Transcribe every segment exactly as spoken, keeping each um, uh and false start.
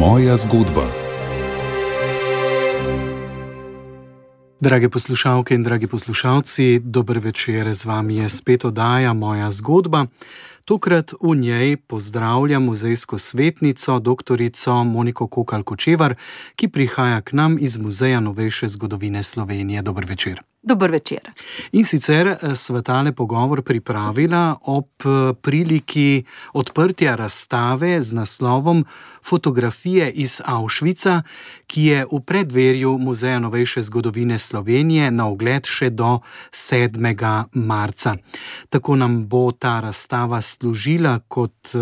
Moja zgodba. Drage poslušalke in dragi poslušalci, dober večer, z vami je spet oddaja Moja zgodba. Tokrat v njej pozdravljam muzejsko svetnico, doktorico Moniko Kokalj-Kočevar, ki prihaja k nam iz Muzeja novejše zgodovine Slovenije. Dober večer. Dober večer. In sicer sva tale pogovor pripravila ob priliki odprtja razstave z naslovom Fotografije iz Auschwitza, ki je v preddverju Muzeja novejše zgodovine Slovenije na ogled še do sedmega marca. Tako nam bo ta razstava služila kot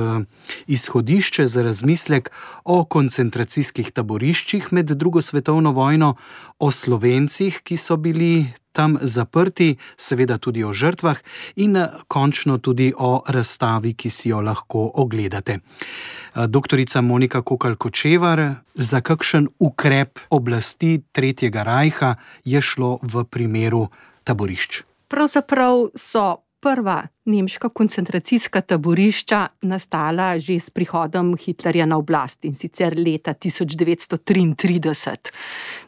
izhodišče za razmislek o koncentracijskih taboriščih med drugo svetovno vojno, o Slovencih, ki so bili tam zaprti, seveda tudi o žrtvah in končno tudi o razstavi, ki si jo lahko ogledate. Doktorica Monika Kokalj-Kočevar, za kakšen ukrep oblasti Tretjega rajha je šlo v primeru taborišč? Pravzaprav so prva nemška koncentracijska taborišča nastala že s prihodom Hitlerja na oblast, in sicer leta tisoč devetsto triintrideset.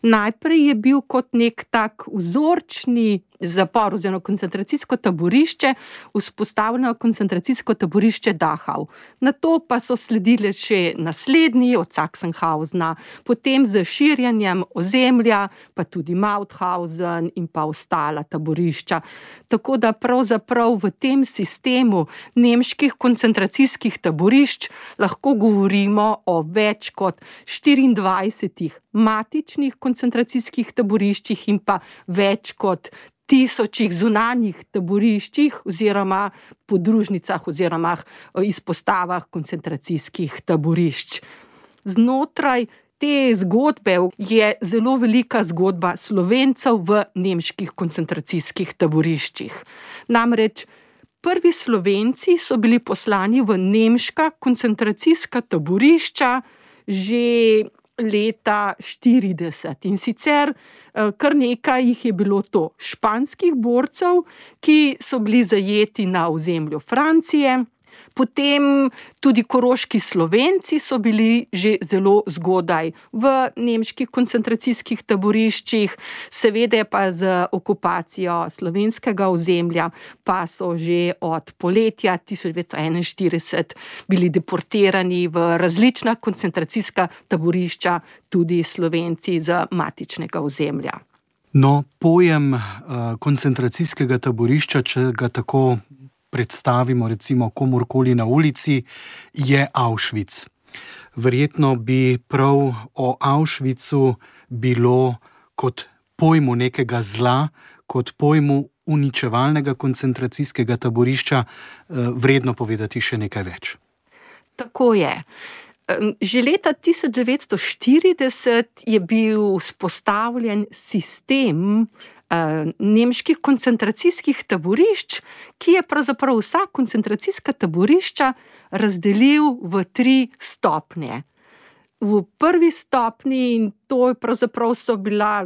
Najprej je bil kot nek tak vzorčni zapor oziroma koncentracijsko taborišče vzpostavljeno koncentracijsko taborišče Dachau. Nato pa so sledile še naslednji od Sachsenhausena, potem z širjenjem ozemlja, pa tudi Mauthausen in pa ostala taborišča. Tako da pravzaprav v tem sistemu nemških koncentracijskih taborišč lahko govorimo o več kot štiriindvajsetih matičnih koncentracijskih taboriščih in pa več kot tisočih zunanjih taboriščih oziroma podružnicah oziroma izpostavah koncentracijskih taborišč. Znotraj te zgodbe je zelo velika zgodba Slovencev v nemških koncentracijskih taboriščih. Namreč prvi Slovenci so bili poslani v nemška koncentracijska taborišča že leta štirideset. In sicer kar nekaj jih je bilo to španskih borcev, ki so bili zajeti na ozemlju Francije. Potem tudi koroški Slovenci so bili že zelo zgodaj v nemških koncentracijskih taboriščih, seveda pa z okupacijo slovenskega ozemlja pa so že od poletja tisoč devetsto enainštirideset bili deportirani v različna koncentracijska taborišča tudi Slovenci z matičnega ozemlja. No, pojem uh, koncentracijskega taborišča, če ga tako predstavimo recimo komorkoli na ulici, je Auschwitz. Verjetno bi prav o Auschwitzu bilo kot pojmu nekega zla, kot pojmu uničevalnega koncentracijskega taborišča vredno povedati še nekaj več. Tako je. Že leta tisoč devetsto štirideset je bil vzpostavljen sistem nemških koncentracijskih taborišč, ki je pravzaprav vsa koncentracijska taborišča razdelil v tri stopnje. V prvi stopnji, in to je pravzaprav so bila,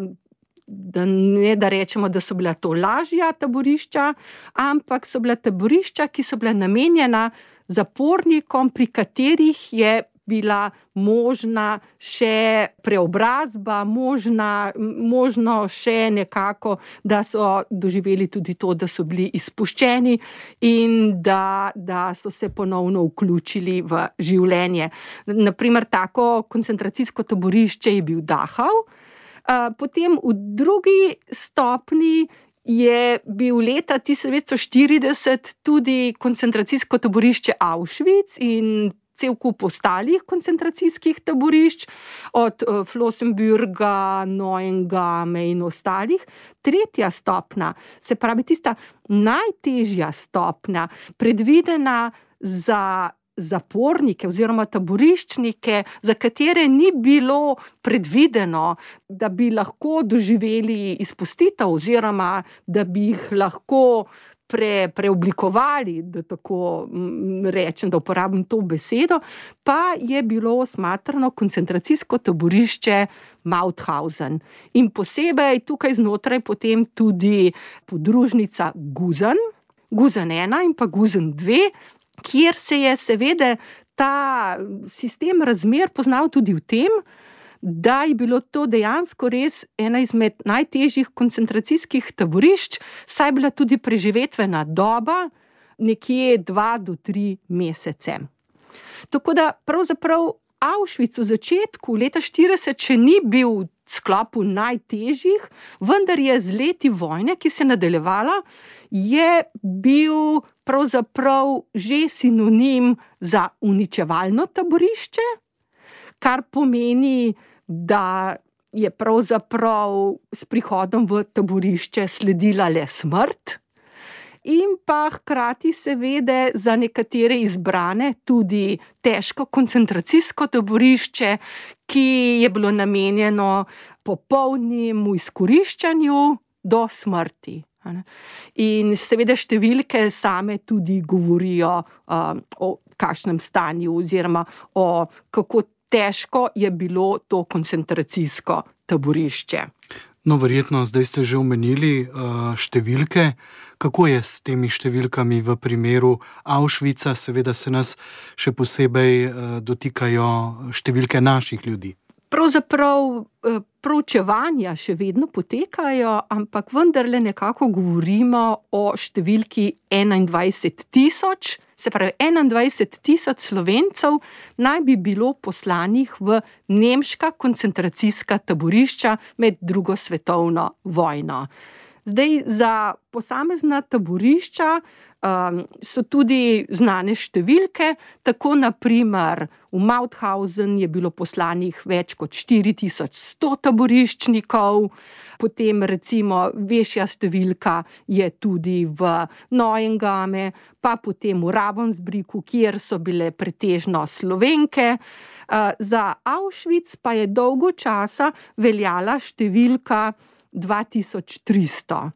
da ne da rečemo, da so bila to lažja taborišča, ampak so bila taborišča, ki so bila namenjena zapornikom, pri katerih je bila možna še preobrazba, možna, možno še nekako, da so doživeli tudi to, da so bili izpuščeni in da, da so se ponovno vključili v življenje. Naprimer, tako koncentracijsko taborišče je bil Dachau, potem v drugi stopni je bil leta tisoč devetsto štirideset tudi koncentracijsko taborišče Auschwitz in cel kup ostalih koncentracijskih taborišč, od Flossenbürga, Neuengame in ostalih. Tretja stopna, se pravi tista najtežja stopna, predvidena za zapornike oziroma taboriščnike, za katere ni bilo predvideno, da bi lahko doživeli izpustitev oziroma da bi jih lahko Pre, preoblikovali, da tako rečem, da uporabim to besedo, pa je bilo smatrano koncentracijsko taborišče Mauthausen. In posebej tukaj znotraj potem tudi podružnica Gusen, Gusen ena in pa Gusen dve, kjer se je seveda ta sistem razmer poznal tudi v tem, da je bilo to dejansko res ena izmed najtežjih koncentracijskih taborišč, saj je bila tudi preživetvena doba nekje dva do tri mesece. Tako da pravzaprav Auschwitz v začetku leta štirideset še ni bil v sklopu najtežjih, vendar je z leti vojne, ki se je nadaljevala, je bil pravzaprav že sinonim za uničevalno taborišče, kar pomeni, da je pravzaprav s prihodom v taborišče sledila le smrt in pa hkrati seveda za nekatere izbrane tudi težko koncentracijsko taborišče, ki je bilo namenjeno popolnemu izkoriščanju do smrti. In seveda številke same tudi govorijo um, o kakšnem stanju oziroma o kako težko je bilo to koncentracijsko taborišče. No, verjetno zdaj ste že omenili uh, številke. Kako je s temi številkami v primeru Auschwitza? Seveda se nas še posebej uh, dotikajo številke naših ljudi. Pravzaprav proučevanja še vedno potekajo, ampak vendarle nekako govorimo o številki enaindvajset tisoč, se pravi enaindvajset tisoč Slovencev naj bi bilo poslanih v nemška koncentracijska taborišča med drugo svetovno vojno. Zdaj, za posamezna taborišča um, so tudi znane številke, tako na primer v Mauthausen je bilo poslanih več kot štiri tisoč sto taboriščnikov, potem recimo večja številka je tudi v Neuengame, pa potem v Ravensbrücku, kjer so bile pretežno Slovenke. Uh, za Auschwitz pa je dolgo časa veljala številka dva tisoč tristo.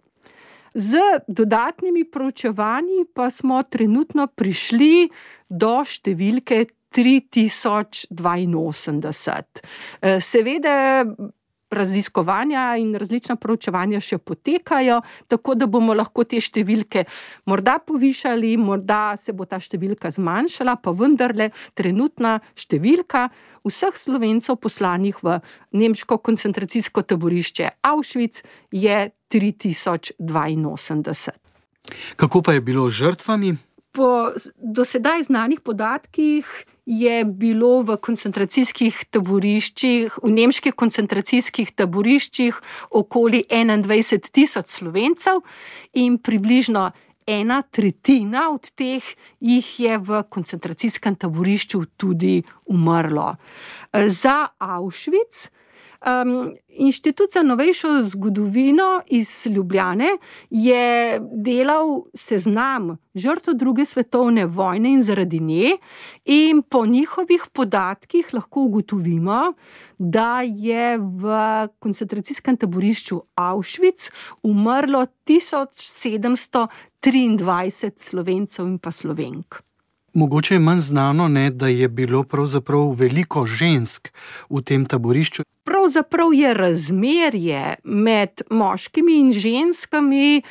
Z dodatnimi proučevanji pa smo trenutno prišli do številke tri tisoč dvainosemdeset. Seveda raziskovanja in različna proučevanja še potekajo, tako da bomo lahko te številke morda povišali, morda se bo ta številka zmanjšala, pa vendarle trenutna številka vseh Slovencev poslanih v nemško koncentracijsko taborišče Auschwitz je tri tisoč dvainosemdeset. Kako pa je bilo z žrtvami? Po do sedaj znanih podatkih je bilo v koncentracijskih taboriščih, v nemških koncentracijskih taboriščih okoli enaindvajset tisoč Slovencev in približno ena tretjina od teh jih je v koncentracijskem taborišču tudi umrlo. Za Auschwitz Um, Inštitut za novejšo zgodovino iz Ljubljane je delal seznam žrtev druge svetovne vojne in zaradi nje in po njihovih podatkih lahko ugotovimo, da je v koncentracijskem taborišču Auschwitz umrlo tisoč sedemsto triindvajset Slovencev in pa Slovenk. Mogoče je manj znano, ne, da je bilo pravzaprav veliko žensk v tem taborišču. Pravzaprav je razmerje med moškimi in ženskami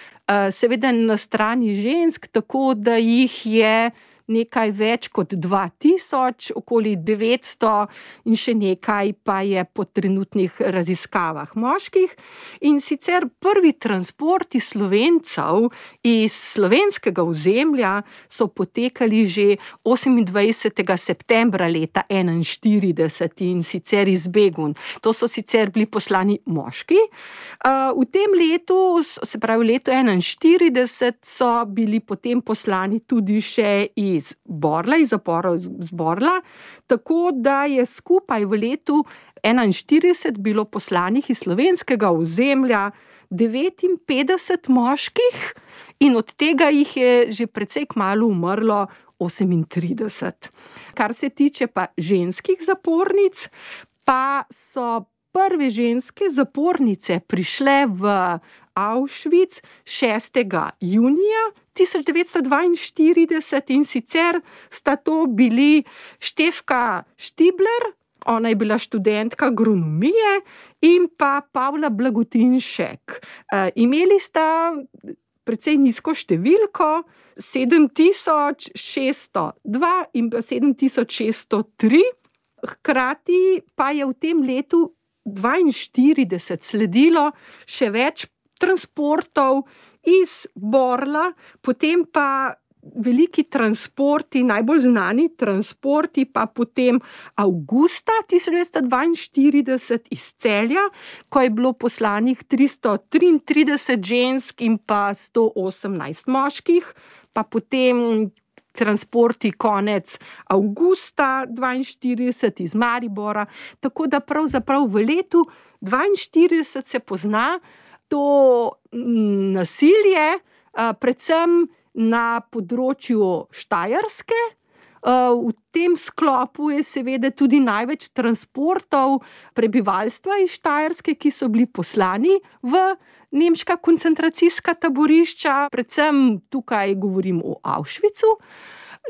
seveda na strani žensk, tako da jih je nekaj več kot dva tisoč, okoli devetsto in še nekaj pa je po trenutnih raziskavah moških. In sicer prvi transporti Slovencev iz slovenskega ozemlja so potekali že osemindvajsetega septembra leta enainštirideset in sicer iz Begun. To so sicer bili poslani moški. V tem letu, se pravi v letu enainštirideset, so bili potem poslani tudi še iz iz Borla, iz zaporov iz Borla, tako da je skupaj v letu enainštirideset bilo poslanih iz slovenskega ozemlja devetinpetdeset moških in od tega jih je že precej kmalu umrlo osemintrideset. Kar se tiče pa ženskih zapornic, pa so prve ženske zapornice prišle v Auschwitz šestega junija tisoč devetsto dvainštirideset in sicer sta to bili Štefka Štibler, ona je bila študentka agronomije, in pa Pavla Blagotinšek. E, imeli sta precej nizko številko, sedem tisoč šeststo dva in pa sedem tisoč šeststo tri. Hkrati pa je v tem letu dvainštirideset sledilo še več transportov iz Borla, potem pa veliki transporti, najbolj znani transporti pa potem avgusta tisoč devetsto dvainštirideset iz Celja, ko je bilo poslanih tristo triintrideset žensk in pa sto osemnajst moških, pa potem transporti konec avgusta dvainštirideset iz Maribora, tako da pravzaprav v letu dvainštirideset se pozna to nasilje, predvsem na področju Štajerske. V tem sklopu je seveda tudi največ transportov prebivalstva iz Štajerske, ki so bili poslani v nemška koncentracijska taborišča, predvsem tukaj govorim o Auschwitzu.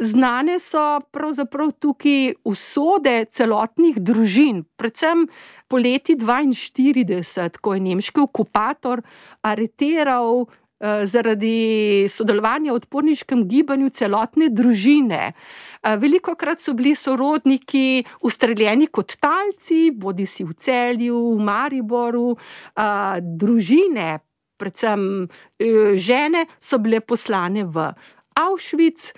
Znane so pravzaprav tukaj usode celotnih družin, predvsem poleti dvainštirideset, ko je nemški okupator areteral zaradi sodelovanja v odporniškem gibanju celotne družine. Velikokrat so bili sorodniki ustreljeni kot talci, bodisi v Celju, v Mariboru, družine, predvsem žene, so bile poslane v Auschwitz,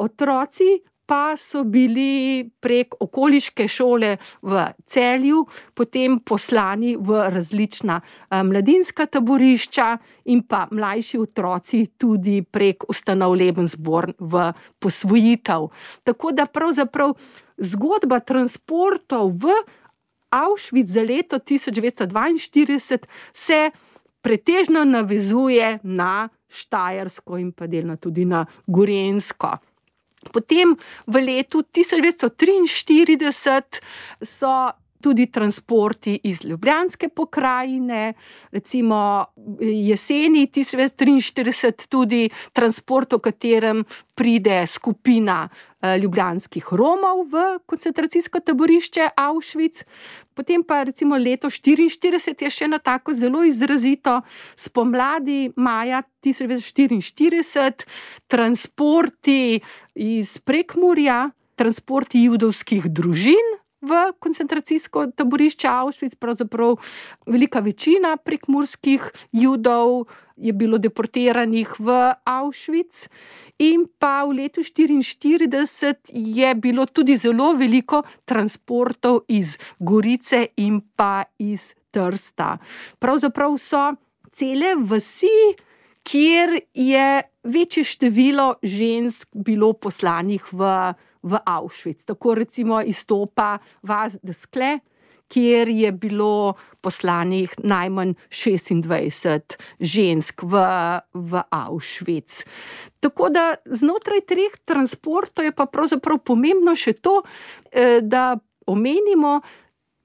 otroci pa so bili prek okoliške šole v Celju potem poslani v različna mladinska taborišča in pa mlajši otroci tudi prek ustanov Lebensborn v posvojitev. Tako da pravzaprav zgodba transportov v Auschwitz za leto tisoč devetsto dvainštirideset se pretežno navezuje na Štajersko in pa delno tudi na Gorenjsko. Potem v letu tisoč devetsto triinštirideset so tudi transporti iz Ljubljanske pokrajine, recimo jeseni tisoč devetsto triinštirideset tudi transport, v katerem pride skupina ljubljanskih Romov v koncentracijsko taborišče Auschwitz. Potem pa recimo leto štiriinštirideset je še na tako zelo izrazito, spomladi maja tisoč devetsto štiriinštirideset, transporti iz Prekmurja, transporti judovskih družin v koncentracijsko taborišče Auschwitz, pravzaprav velika večina prekmurskih Judov je bilo deportiranih v Auschwitz in pa v letu štiriinštirideset je bilo tudi zelo veliko transportov iz Gorice in pa iz Trsta. Pravzaprav so cele vasi, kjer je večje število žensk bilo poslanih v v Auschwitz. Tako recimo izstopa vas Deskle, kjer je bilo poslanih najmanj šestindvajset žensk v, v Auschwitz. Tako da znotraj treh transportov je pa pravzaprav pomembno še to, da omenimo,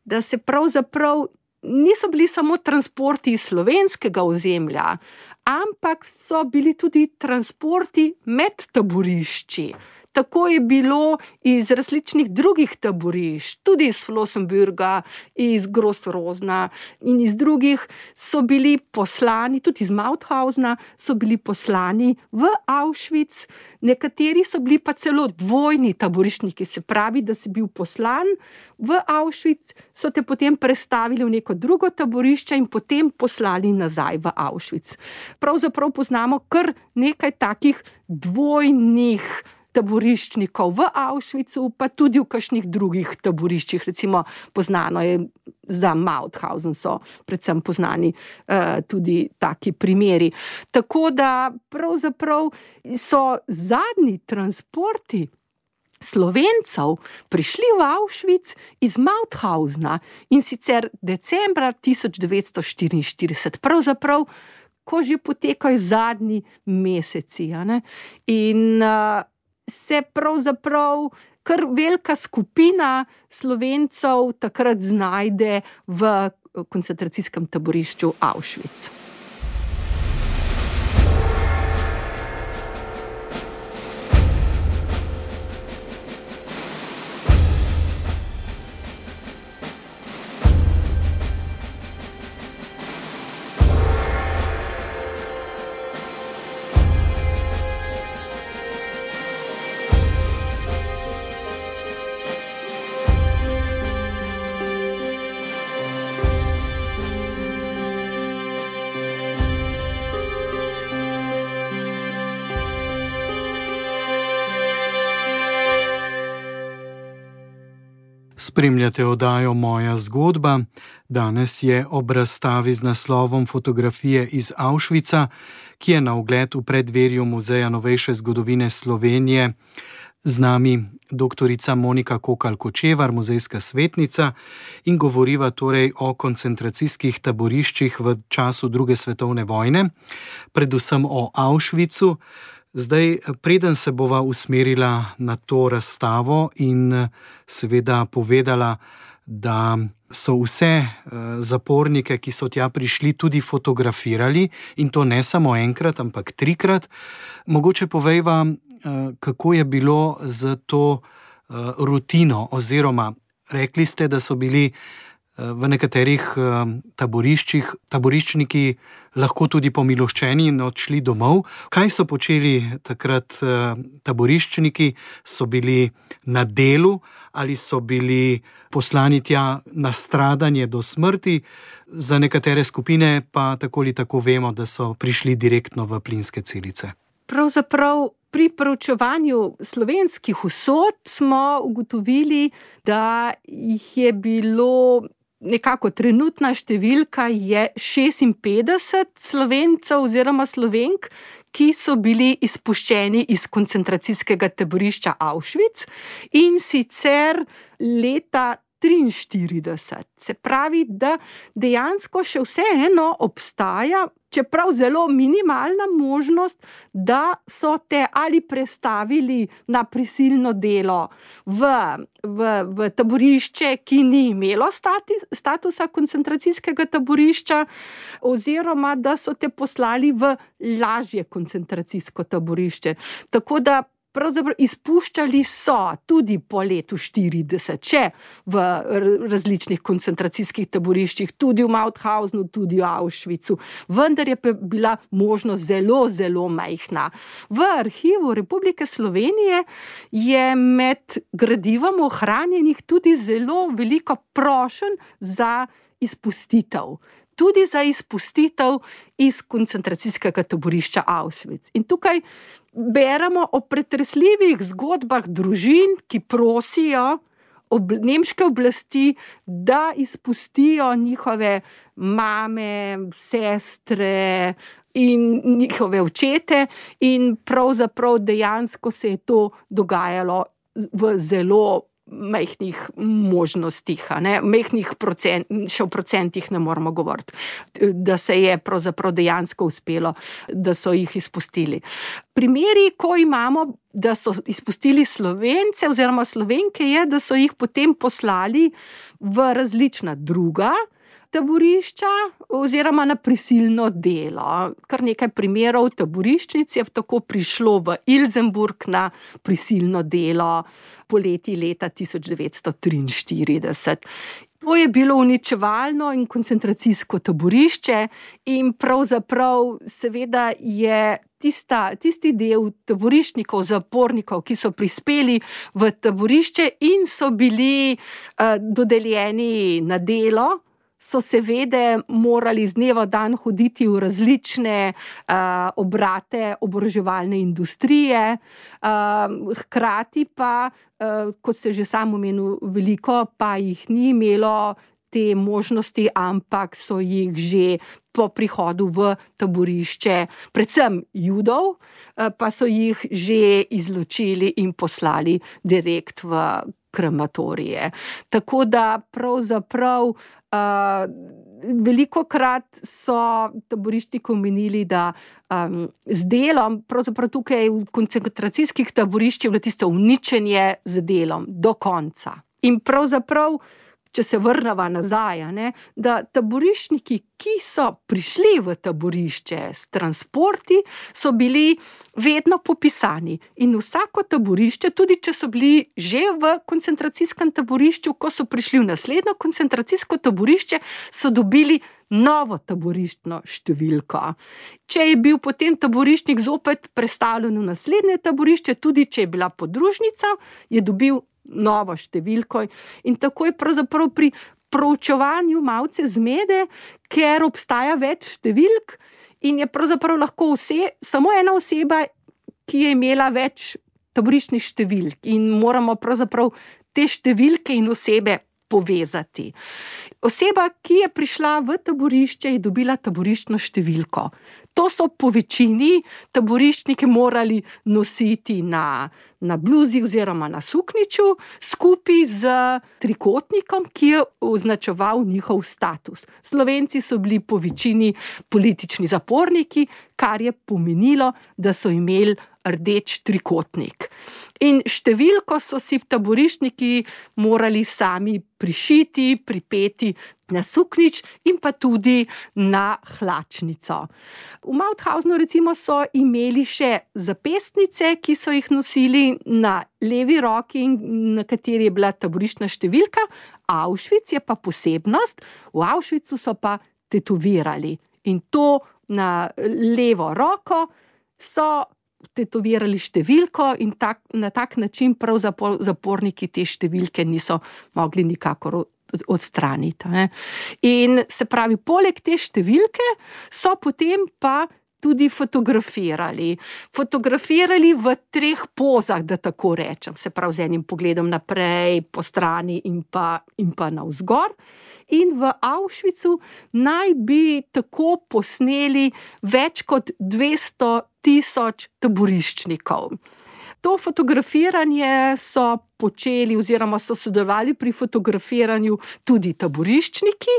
da se pravzaprav niso bili samo transporti iz slovenskega ozemlja, ampak so bili tudi transporti med taborišči. Tako je bilo iz različnih drugih taborišč, tudi iz Flossenbürga, iz Gross-Rosenna in iz drugih so bili poslani, tudi iz Mauthausna so bili poslani v Auschwitz. Nekateri so bili pa celo dvojni taboriščniki, se pravi, da si bil poslan v Auschwitz, so te potem prestavili v neko drugo taborišče in potem poslali nazaj v Auschwitz. Pravzaprav poznamo kar nekaj takih dvojnih taboriščnikov v Auschwitzu, pa tudi v kakšnih drugih taboriščih, recimo poznano je za Mauthausen, so predvsem poznani uh, tudi taki primeri. Tako da pravzaprav so zadnji transporti Slovencev prišli v Auschwitz iz Mauthausna in sicer decembra tisoč devetsto štiriinštirideset, pravzaprav ko že potekajo zadnji meseci. A ne? In uh, se pravzaprav kar velika skupina Slovencev takrat znajde v koncentracijskem taborišču Auschwitz. Spremljate oddajo Moja zgodba. Danes je ob razstavi z naslovom Fotografije iz Auschwitza, ki je na ogled v preddverju Muzeja novejše zgodovine Slovenije. Z nami doktorica Monika Kokalj-Kočevar, muzejska svetnica, in govoriva torej o koncentracijskih taboriščih v času druge svetovne vojne, predvsem o Auschwitzu. Zdaj, preden se bova usmerila na to razstavo in seveda povedala, da so vse zapornike, ki so tja prišli, tudi fotografirali, in to ne samo enkrat, ampak trikrat, mogoče povejva, kako je bilo z to rutino, oziroma rekli ste, da so bili v nekaterih taboriščih taboriščniki lahko tudi pomiloščeni in odšli domov. Kaj so počeli takrat taboriščniki? So bili na delu ali so bili poslani tja na stradanje do smrti? Za nekatere skupine pa tako ali tako vemo, da so prišli direktno v plinske celice. Pravzaprav pri proučevanju slovenskih usod smo ugotovili, da jih je bilo nekako trenutna številka je šestinpetdeset Slovencev oziroma Slovenk, ki so bili izpuščeni iz koncentracijskega taborišča Auschwitz, in sicer leta triinštirideset. Se pravi, da dejansko še vseeno obstaja, čeprav zelo minimalna možnost, da so te ali prestavili na prisilno delo v, v, v taborišče, ki ni imelo stati, statusa koncentracijskega taborišča, oziroma da so te poslali v lažje koncentracijsko taborišče. Tako da pravzaprav izpuščali so tudi po letu štirideset, če v različnih koncentracijskih taboriščih, tudi v Mauthausnu, tudi v Auschwitzu, vendar je bila možnost zelo, zelo majhna. V arhivu Republike Slovenije je med gradivom ohranjenih tudi zelo veliko prošenj za izpustitev. Tudi za izpustitev iz koncentracijskega taborišča Auschwitz. In tukaj beremo o pretresljivih zgodbah družin, ki prosijo ob, nemške oblasti, da izpustijo njihove mame, sestre in njihove očete, in pravzaprav dejansko se je to dogajalo v zelo majhnih možnostih, ne, majhnih procent, še v procentih ne moramo govoriti, da se je pravzaprav dejansko uspelo, da so jih izpustili. Primeri, ko imamo, da so izpustili Slovence oziroma Slovenke, je, da so jih potem poslali v različna druga taborišča oziroma na prisilno delo. Kar nekaj primerov taboriščnic je tako prišlo v Ilzenburg na prisilno delo poleti leta tisoč devetsto triinštirideset. To je bilo uničevalno in koncentracijsko taborišče, in pravzaprav seveda je tista, tisti del taboriščnikov, zapornikov, ki so prispeli v taborišče in so bili uh, dodeljeni na delo, so seveda morali z dneva v dan hoditi v različne uh, obrate oboroževalne industrije, uh, hkrati pa, uh, kot se že sam omenil, veliko pa jih ni imelo te možnosti, ampak so jih že po prihodu v taborišče, predvsem Judov, uh, pa so jih že izločili in poslali direkt v krematorije. Tako da pravzaprav Uh, velikokrat so taboriščniki omenili, da um, z delom, pravzaprav tukaj v koncentracijskih taboriščih je bilo tisto uničenje z delom do konca. In pravzaprav, če se vrneva nazaj, ne, da taboriščniki, ki so prišli v taborišče s transporti, so bili vedno popisani. In vsako taborišče, tudi če so bili že v koncentracijskem taborišču, ko so prišli v naslednjo koncentracijsko taborišče, so dobili novo taboriščno številko. Če je bil potem taboriščnik zopet prestavljen v naslednje taborišče, tudi če je bila podružnica, je dobil novo številko, in tako je pravzaprav pri proučevanju malce zmede, ker obstaja več številk in je pravzaprav lahko vse, samo ena oseba, ki je imela več taboriščnih številk, in moramo pravzaprav te številke in osebe povezati. Oseba, ki je prišla v taborišče, je dobila taboriščno številko. To so po večini taboriščniki morali nositi na, na bluzi oziroma na suknjiču, skupaj z trikotnikom, ki je označeval njihov status. Slovenci so bili po večini politični zaporniki, kar je pomenilo, da so imeli rdeč trikotnik. In številko so si taboriščniki morali sami prišiti, pripeti na suknjič in pa tudi na hlačnico. V Mauthausenu recimo so imeli še zapestnice, ki so jih nosili na levi roki, na kateri je bila taboriščna številka. Auschwitz je pa posebnost, v Auschwitzu so pa tetovirali. In to na levo roko so tetovirali številko in tak, na tak način prav zaporniki te številke niso mogli nikakor odstraniti. Ne. In se pravi, poleg te številke so potem pa tudi fotografirali. Fotografirali v treh pozah, da tako rečem, se pravi z enim pogledom naprej, po strani in pa, in pa navzgor. In v Auschwitzu naj bi tako posneli več kot dvesto tisoč taboriščnikov. To fotografiranje so počeli oziroma so sodelovali pri fotografiranju tudi taboriščniki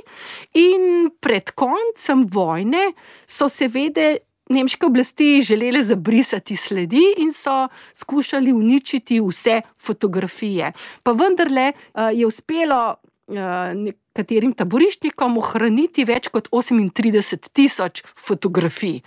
in pred koncem vojne so seveda nemške oblasti želele zabrisati sledi in so skušali uničiti vse fotografije. Pa vendarle je uspelo nekaterim taboriščnikom ohraniti več kot osemintrideset tisoč fotografij.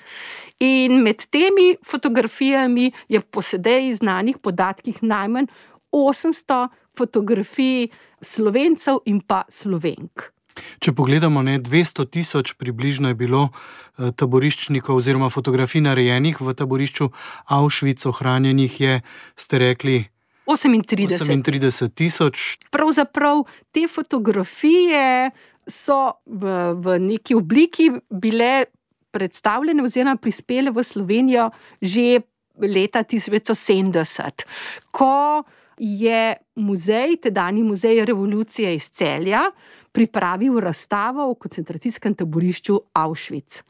In med temi fotografijami je po sedaj znanih podatkih najmanj osemsto fotografij Slovencev in pa Slovenk. Če pogledamo, ne, dvesto tisoč približno je bilo taboriščnikov oziroma fotografij narejenih v taborišču Auschwitz, ohranjenih je, ste rekli, osemintrideset tisoč. Pravzaprav te fotografije so v, v neki obliki bile predstavljene oziroma prispele v Slovenijo že leta tisoč devetsto sedemdeset, ko je muzej, tedajni muzej revolucije iz Celja, pripravil razstavo o koncentracijskem taborišču Auschwitz.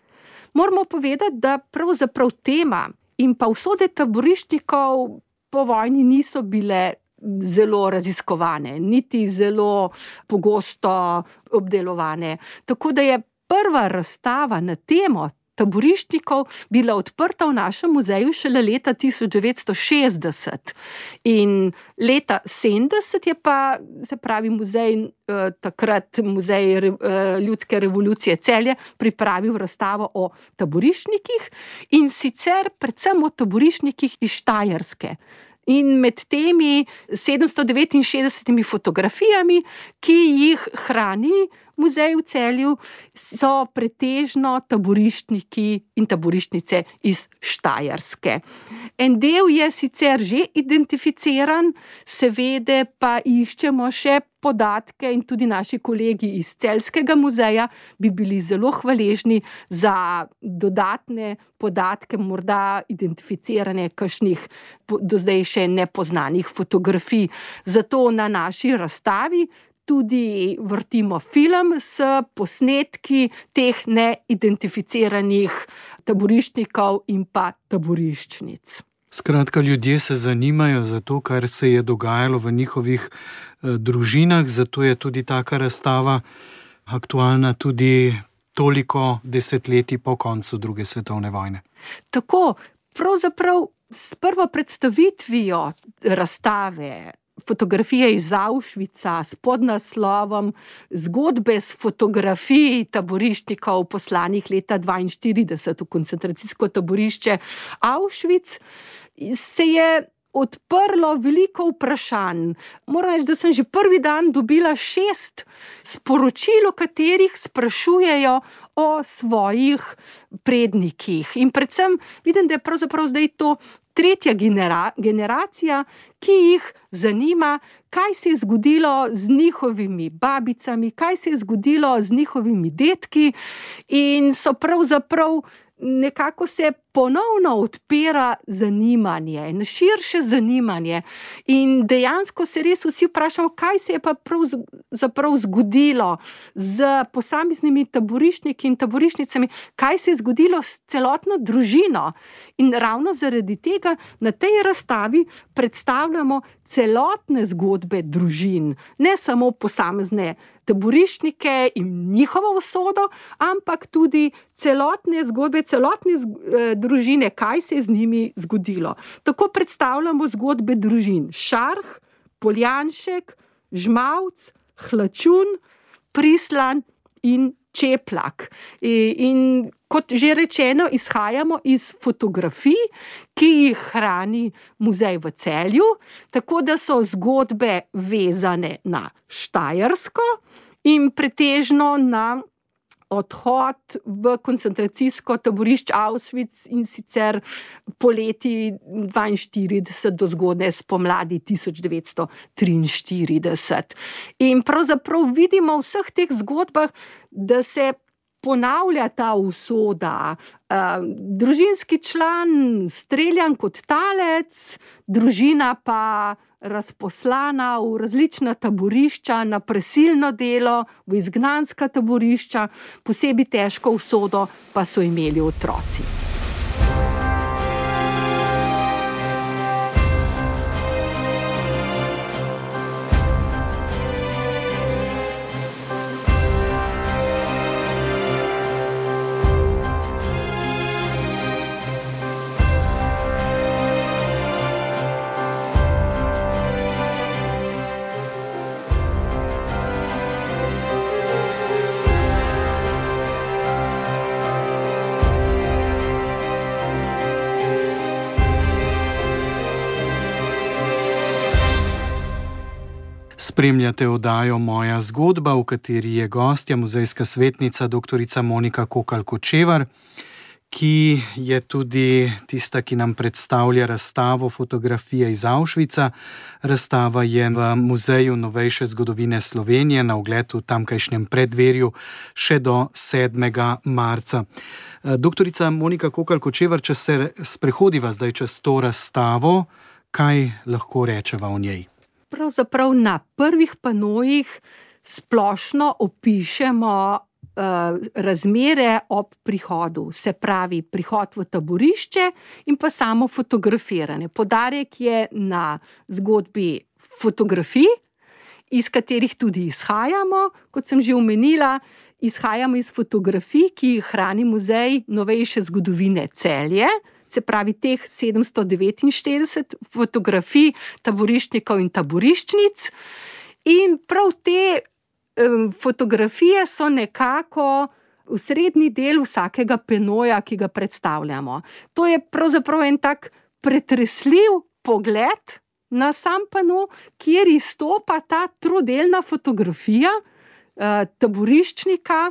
Moramo povedati, da pravzaprav tema in pa usode taboriščnikov po vojni niso bile zelo raziskovane, niti zelo pogosto obdelovane. Tako da je prva razstava na temo taboriščnikov bila odprta v našem muzeju šele leta tisoč devetsto šestdeset. In leta sedemdeset je pa, se pravi, muzej, eh, takrat muzej eh, ljudske revolucije Celje pripravil razstavo o taboriščnikih in sicer predvsem o taboriščnikih iz Štajerske. In med temi sedemsto devetinšestdesetimi fotografijami, ki jih hrani muzej v Celju, so pretežno taboriščniki in taboriščnice iz Štajerske. En del je sicer že identificiran, seveda pa iščemo še podatke in tudi naši kolegi iz Celjskega muzeja bi bili zelo hvaležni za dodatne podatke, morda identificiranje kakšnih do zdaj še nepoznanih fotografij. Zato na naši razstavi tudi vrtimo film s posnetki teh neidentificiranih taboriščnikov in pa taboriščnic. Skratka, ljudje se zanimajo za to, kar se je dogajalo v njihovih eh, družinah, zato je tudi taka razstava aktualna tudi toliko desetletij po koncu druge svetovne vojne. Tako, pravzaprav s prvo predstavitvijo razstave fotografije iz Auschwitza s podnaslovom Zgodbe s fotografij taboriščnikov poslanih leta dvainštirideset v koncentracijsko taborišče Auschwitz, se je odprlo veliko vprašanj. Moram reči, da sem že prvi dan dobila šest sporočil, v katerih sprašujejo o svojih prednikih. In predvsem vidim, da je pravzaprav zdaj to tretja genera- generacija, ki jih zanima, kaj se je zgodilo z njihovimi babicami, kaj se je zgodilo z njihovimi dedki in so pravzaprav nekako se ponovno odpira zanimanje, širše zanimanje. In dejansko se res vsi vprašamo, kaj se je pa pravzaprav zgodilo z posameznimi taboriščniki in taboriščnicami, kaj se je zgodilo s celotno družino. In ravno zaradi tega na tej razstavi predstavljamo celotne zgodbe družin, ne samo posamezne taboriščnike in njihovo usodo, ampak tudi celotne zgodbe, celotne družine, kaj se je z njimi zgodilo. Tako predstavljamo zgodbe družin Šarh, Poljanšek, Žmavc, Hlačun, Prislan in Čeplak. In kot že rečeno, izhajamo iz fotografij, ki jih hrani muzej v Celju, tako da so zgodbe vezane na Štajersko in pretežno na odhod v koncentracijsko taborišče Auschwitz, in sicer poleti dvainštirideset do zgodnje spomladi tisoč devetsto triinštirideset. In pravzaprav vidimo v vseh teh zgodbah, da se ponavlja ta usoda. Družinski član streljan kot talec, družina pa razposlana v različna taborišča, na prisilno delo, v izgnanska taborišča, posebej težko usodo pa so imeli otroci. Spremljate oddajo Moja zgodba, v kateri je gostja muzejska svetnica doktorica Monika Kokalj-Kočevar, ki je tudi tista, ki nam predstavlja razstavo Fotografije iz Auschwitza. Razstava je v Muzeju novejše zgodovine Slovenije na ogled v tamkajšnjem preddverju še do sedmega marca. Doktorica Monika Kokalj-Kočevar, če se sprehodiva zdaj čez to razstavo, kaj lahko rečeva o njej? Pravzaprav na prvih panojih splošno opišemo uh, razmere ob prihodu, se pravi prihod v taborišče in pa samo fotografiranje. Poudarek je na zgodbi fotografij, iz katerih tudi izhajamo, kot sem že omenila, izhajamo iz fotografij, ki jih hrani Muzej novejše zgodovine Celje, se pravi teh sedemsto devetinštirideset fotografij taboriščnikov in taboriščnic. In prav te um, fotografije so nekako osrednji del vsakega panoja, ki ga predstavljamo. To je pravzaprav en tak pretresljiv pogled na sam pano, kjer izstopa ta trodelna fotografija uh, taboriščnika,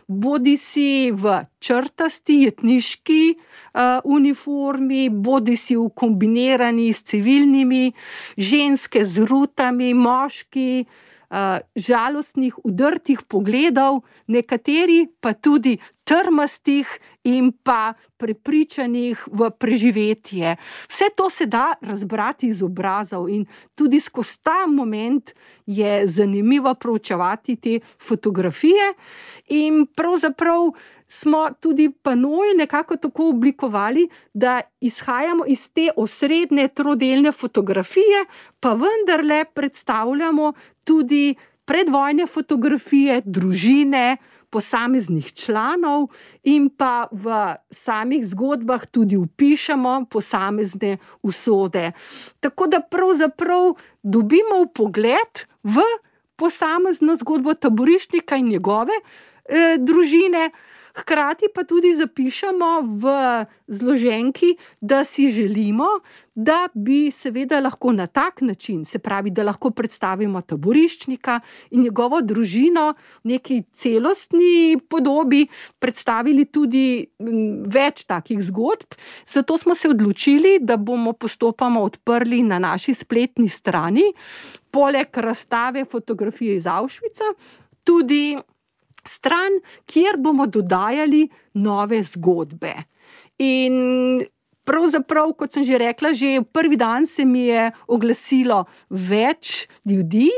bodi si v črtasti jetniški uh, uniformi, bodi si v kombinirani s civilnimi, ženske z rutami, moški, uh, žalostnih, udrtih pogledov, nekateri pa tudi trmastih in pa prepričanih v preživetje. Vse to se da razbrati iz obrazov in tudi skozi ta moment je zanimivo proučevati te fotografije. In pravzaprav smo tudi panoj nekako tako oblikovali, da izhajamo iz te osrednje trodelne fotografije, pa vendarle predstavljamo tudi predvojne fotografije družine, posameznih članov in pa v samih zgodbah tudi vpišemo posamezne usode. Tako da pravzaprav dobimo vpogled v posamezno zgodbo taboriščnika in njegove eh, družine, hkrati pa tudi zapišemo v zloženki, da si želimo, da bi seveda lahko na tak način, se pravi, da lahko predstavimo taboriščnika in njegovo družino v neki celostni podobi, predstavili tudi več takih zgodb. Zato smo se odločili, da bomo postopoma odprli na naši spletni strani, poleg razstave Fotografije iz Auschwitza, tudi stran, kjer bomo dodajali nove zgodbe. In pravzaprav, kot sem že rekla, že prvi dan se mi je oglasilo več ljudi,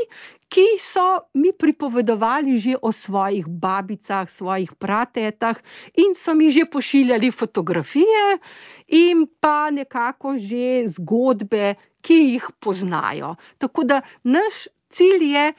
ki so mi pripovedovali že o svojih babicah, svojih pratetah in so mi že pošiljali fotografije in pa nekako že zgodbe, ki jih poznajo. Tako da naš cilj je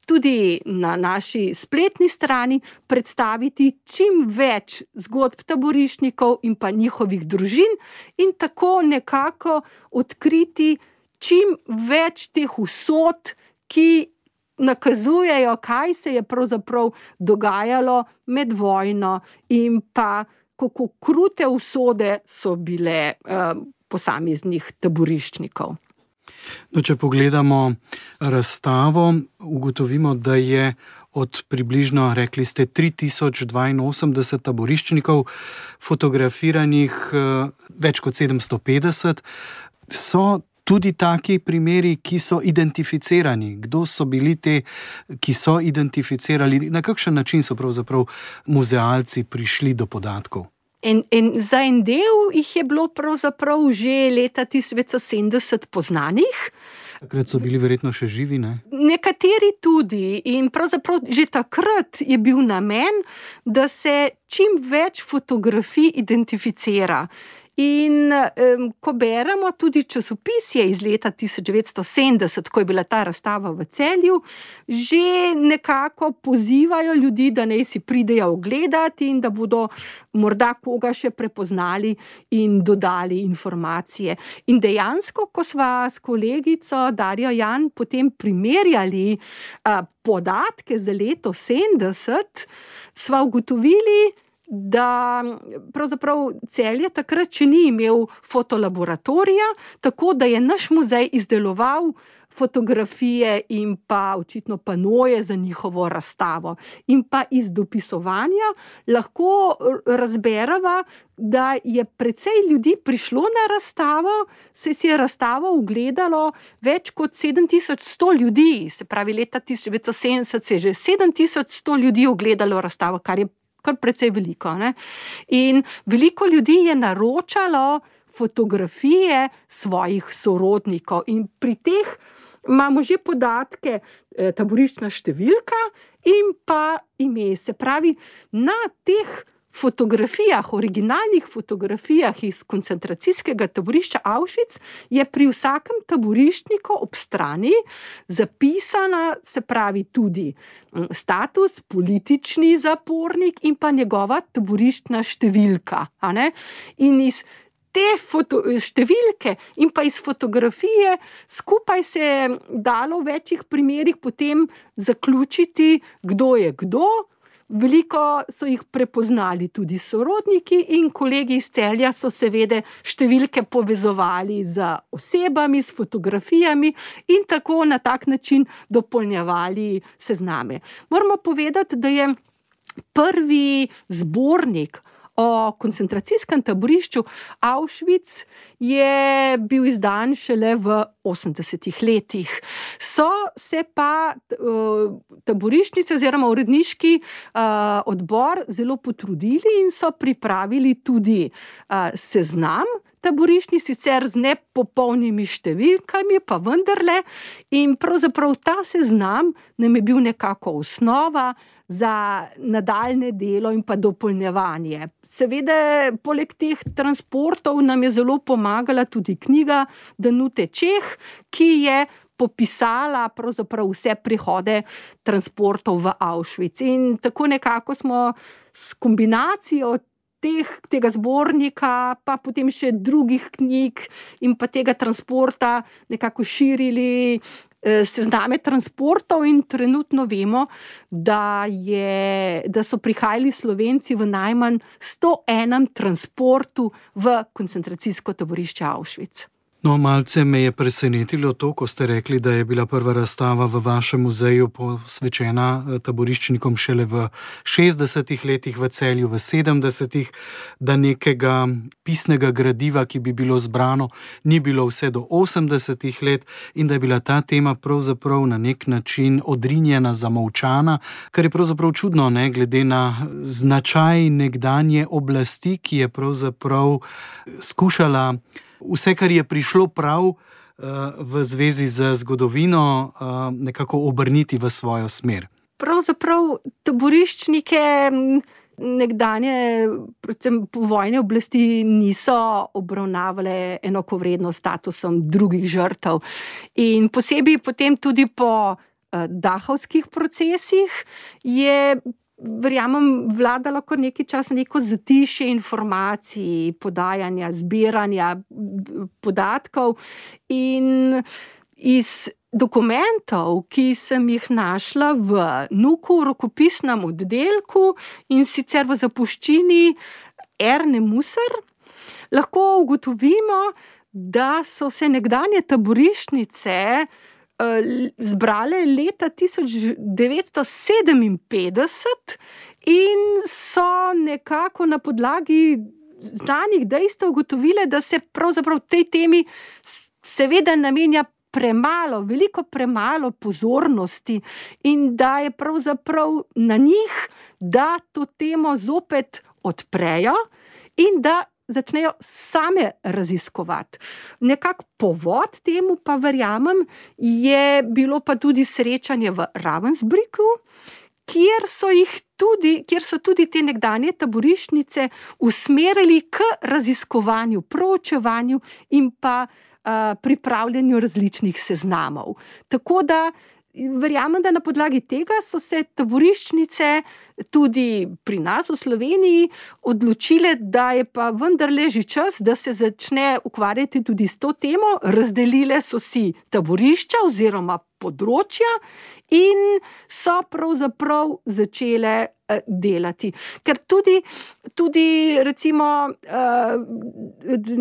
tudi na naši spletni strani predstaviti čim več zgodb taboriščnikov in pa njihovih družin in tako nekako odkriti čim več teh usod, ki nakazujejo, kaj se je pravzaprav dogajalo med vojno in pa kako krute usode so bile eh, posameznih taboriščnikov. No, če pogledamo razstavo, ugotovimo, da je od približno, rekli ste, tri tisoč dvainosemdeset taboriščnikov fotografiranih več kot sedemsto petdeset. So tudi taki primeri, ki so identificirani. Kdo so bili te, ki so identificirali? Na kakšen način so pravzaprav muzealci prišli do podatkov? In, in za en del jih je bilo pravzaprav že leta tisoč devetsto sedemdeset poznanih. Takrat so bili verjetno še živi, ne? Nekateri tudi. In pravzaprav že takrat je bil namen, da se čim več fotografij identificira. In um, ko beremo tudi časopisje iz leta tisoč devetsto sedemdeset, ko je bila ta razstava v Celju, že nekako pozivajo ljudi, da naj si pridejo ogledati in da bodo morda koga še prepoznali in dodali informacije. In dejansko, ko sva s kolegico Darjo Jan potem primerjali uh, podatke za leto sedemdeset, sva ugotovili, da pravzaprav Celje takrat še ni imel fotolaboratorija, tako da je naš muzej izdeloval fotografije in pa očitno panoje za njihovo razstavo. In pa iz dopisovanja lahko razberava, da je precej ljudi prišlo na razstavo, se si je razstavo ogledalo več kot sedem tisoč sto ljudi, se pravi leta tisoč devetsto sedemdeset se je že sedem tisoč sto ljudi ogledalo razstavo, kar je kar precej veliko, ne? In veliko ljudi je naročalo fotografije svojih sorodnikov in pri teh imamo že podatke, eh, taboriščna številka in pa ime. Se pravi, na teh fotografijah, originalnih fotografijah iz koncentracijskega taborišča Auschwitz je pri vsakem taboriščniku ob strani zapisana, se pravi tudi status, politični zapornik in pa njegova taboriščna številka. A ne? In iz te foto, številke in pa iz fotografije skupaj se je dalo v večjih primerih potem zaključiti, kdo je kdo. Veliko so jih prepoznali tudi sorodniki in kolegi iz Celja so seveda številke povezovali z osebami, s fotografijami in tako na tak način dopolnjevali sezname. Moramo povedati, da je prvi zbornik o koncentracijskem taborišču Auschwitz je bil izdan šele v osemdesetih letih. So se pa uh, taboriščnice oziroma uredniški uh, odbor zelo potrudili in so pripravili tudi uh, seznam taboriščnic, sicer z nepopolnimi številkami, pa vendarle. In pravzaprav ta seznam nam je bil nekako osnova za nadaljne delo in pa dopolnjevanje. Seveda, poleg teh transportov nam je zelo pomagala tudi knjiga Danute Čeh, ki je popisala pravzaprav vse prihode transportov v Auschwitz. In tako nekako smo s kombinacijo teh, tega zbornika, pa potem še drugih knjig in pa tega transporta nekako širili sezname transportov in trenutno vemo, da, je, da so prihajali Slovenci v najmanj sto enem transportu v koncentracijsko taborišče Auschwitz. No, malce me je presenetilo to, ko ste rekli, da je bila prva razstava v vašem muzeju posvečena taboriščnikom šele v šestdesetih letih, v Celju v sedemdesetih, da nekega pisnega gradiva, ki bi bilo zbrano, ni bilo vse do osemdesetih let in da je bila ta tema pravzaprav na nek način odrinjena, zamolčana, kar je pravzaprav čudno, ne, glede na značaj nekdanje oblasti, ki je pravzaprav skušala vse, kar je prišlo prav v zvezi z zgodovino, nekako obrniti v svojo smer. Pravzaprav taboriščnike nekdanje, predvsem povojne oblasti, niso obravnavale enakovredno s statusom drugih žrtev. In posebej potem tudi po dahovskih procesih je, verjamem, vladalo kar nekaj časa neko zatišje informacij, podajanja, zbiranja podatkov, in iz dokumentov, ki sem jih našla v Nuku, rokopisnem oddelku, in sicer v zapuščini Erne Musar, lahko ugotovimo, da so se nekdanje taboriščnice zbrale leta tisoč devetsto sedeminpetdeset in so nekako na podlagi znanih dejstev ugotovile, da se pravzaprav tej temi seveda namenja premalo, veliko premalo pozornosti in da je pravzaprav na njih, da to temo zopet odprejo in da začnejo same raziskovati. Nekak povod temu pa, verjamem, je bilo pa tudi srečanje v Ravensbrücku, kjer so jih tudi, kjer so tudi te nekdanje taboriščnice usmerili k raziskovanju, proučevanju in pa uh, pripravljanju različnih seznamov. Tako da verjamem, da na podlagi tega so se taboriščnice tudi pri nas v Sloveniji odločile, da je pa vendarle že čas, da se začne ukvarjati tudi s to temo. Razdelile so si taborišča oziroma področja in so pravzaprav začele delati. Ker tudi, tudi recimo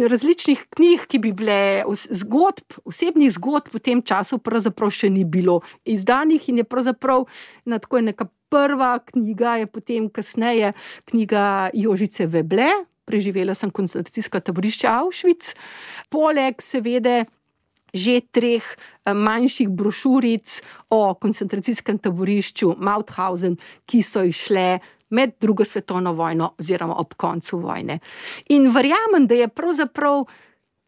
različnih knjig, ki bi bile zgodb, osebnih zgodb v tem času pravzaprav še ni bilo izdanih in je pravzaprav na tako neka prva knjiga je potem kasneje knjiga Jožice Veble, Preživela sem koncentracijska taborišča Auschwitz, poleg seveda že treh manjših brošuric o koncentracijskem taborišču Mauthausen, ki so išle med drugo svetovno vojno oziroma ob koncu vojne. In verjamem, da je pravzaprav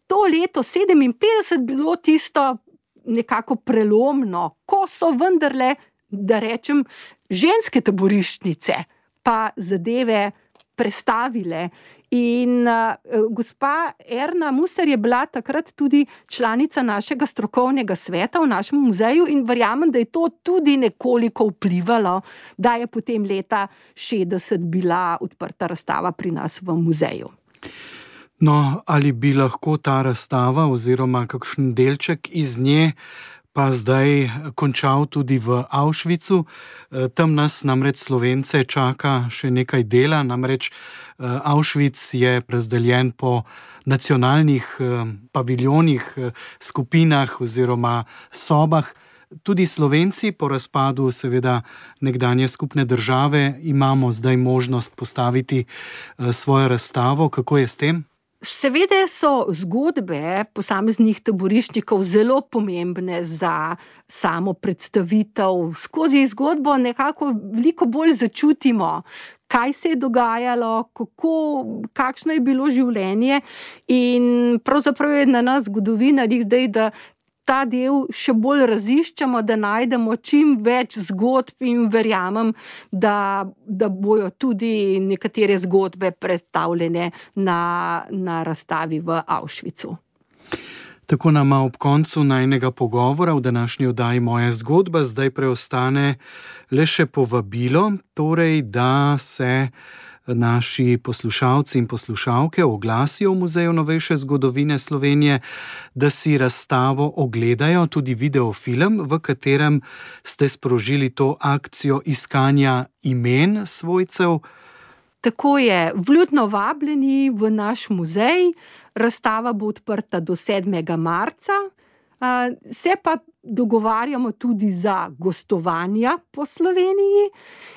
to leto sedeminpetdeset bilo tisto nekako prelomno, ko so vendarle, da rečem, ženske taboriščnice pa zadeve prestavile. In uh, gospa Erna Musar je bila takrat tudi članica našega strokovnega sveta v našem muzeju in verjamem, da je to tudi nekoliko vplivalo, da je potem leta šestdeset bila odprta razstava pri nas v muzeju. No, ali bi lahko ta razstava oziroma kakšen delček iz nje pa zdaj končal tudi v Auschwitzu? Tam nas namreč Slovence čaka še nekaj dela, namreč Auschwitz je razdeljen po nacionalnih paviljonih, skupinah oziroma sobah. Tudi Slovenci po razpadu seveda nekdanje skupne države imamo zdaj možnost postaviti svojo razstavo. Kako je s tem? Seveda so zgodbe posameznih taboriščnikov zelo pomembne za samo predstavitev. Skozi zgodbo nekako veliko bolj začutimo, kaj se je dogajalo, kako, kakšno je bilo življenje, in pravzaprav je na nas zgodovinarjih zdaj, da ta del še bolj raziščemo, da najdemo čim več zgodb in verjamem, da, da bojo tudi nekatere zgodbe predstavljene na, na razstavi v Auschwitzu. Tako nama ob koncu najnega pogovora v današnji oddaji Moja zgodba zdaj preostane le še povabilo, torej da se naši poslušalci in poslušalke oglasijo v Muzeju novejše zgodovine Slovenije, da si razstavo ogledajo, tudi videofilm, v katerem ste sprožili to akcijo iskanja imen svojcev Tako je, vljudno vabljeni v naš muzej. Razstava bo odprta do sedmega marca. Se pa dogovarjamo tudi za gostovanja po Sloveniji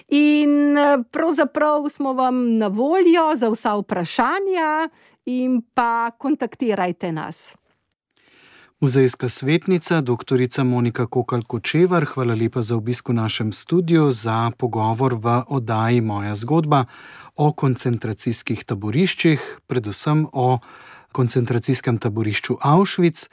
in pravzaprav smo vam na voljo za vsa vprašanja in pa kontaktirajte nas. Muzejska svetnica, doktorica Monika Kokalj-Kočevar, hvala lepa za obisk v našem studiu, za pogovor v oddaji Moja zgodba o koncentracijskih taboriščih, predvsem o koncentracijskem taborišču Auschwitz,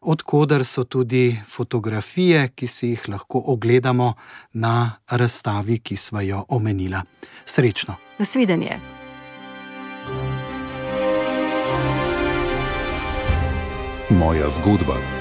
od koder so tudi fotografije, ki si jih lahko ogledamo na razstavi, ki sva jo omenila. Srečno! Nasvidenje! Moja zgodba.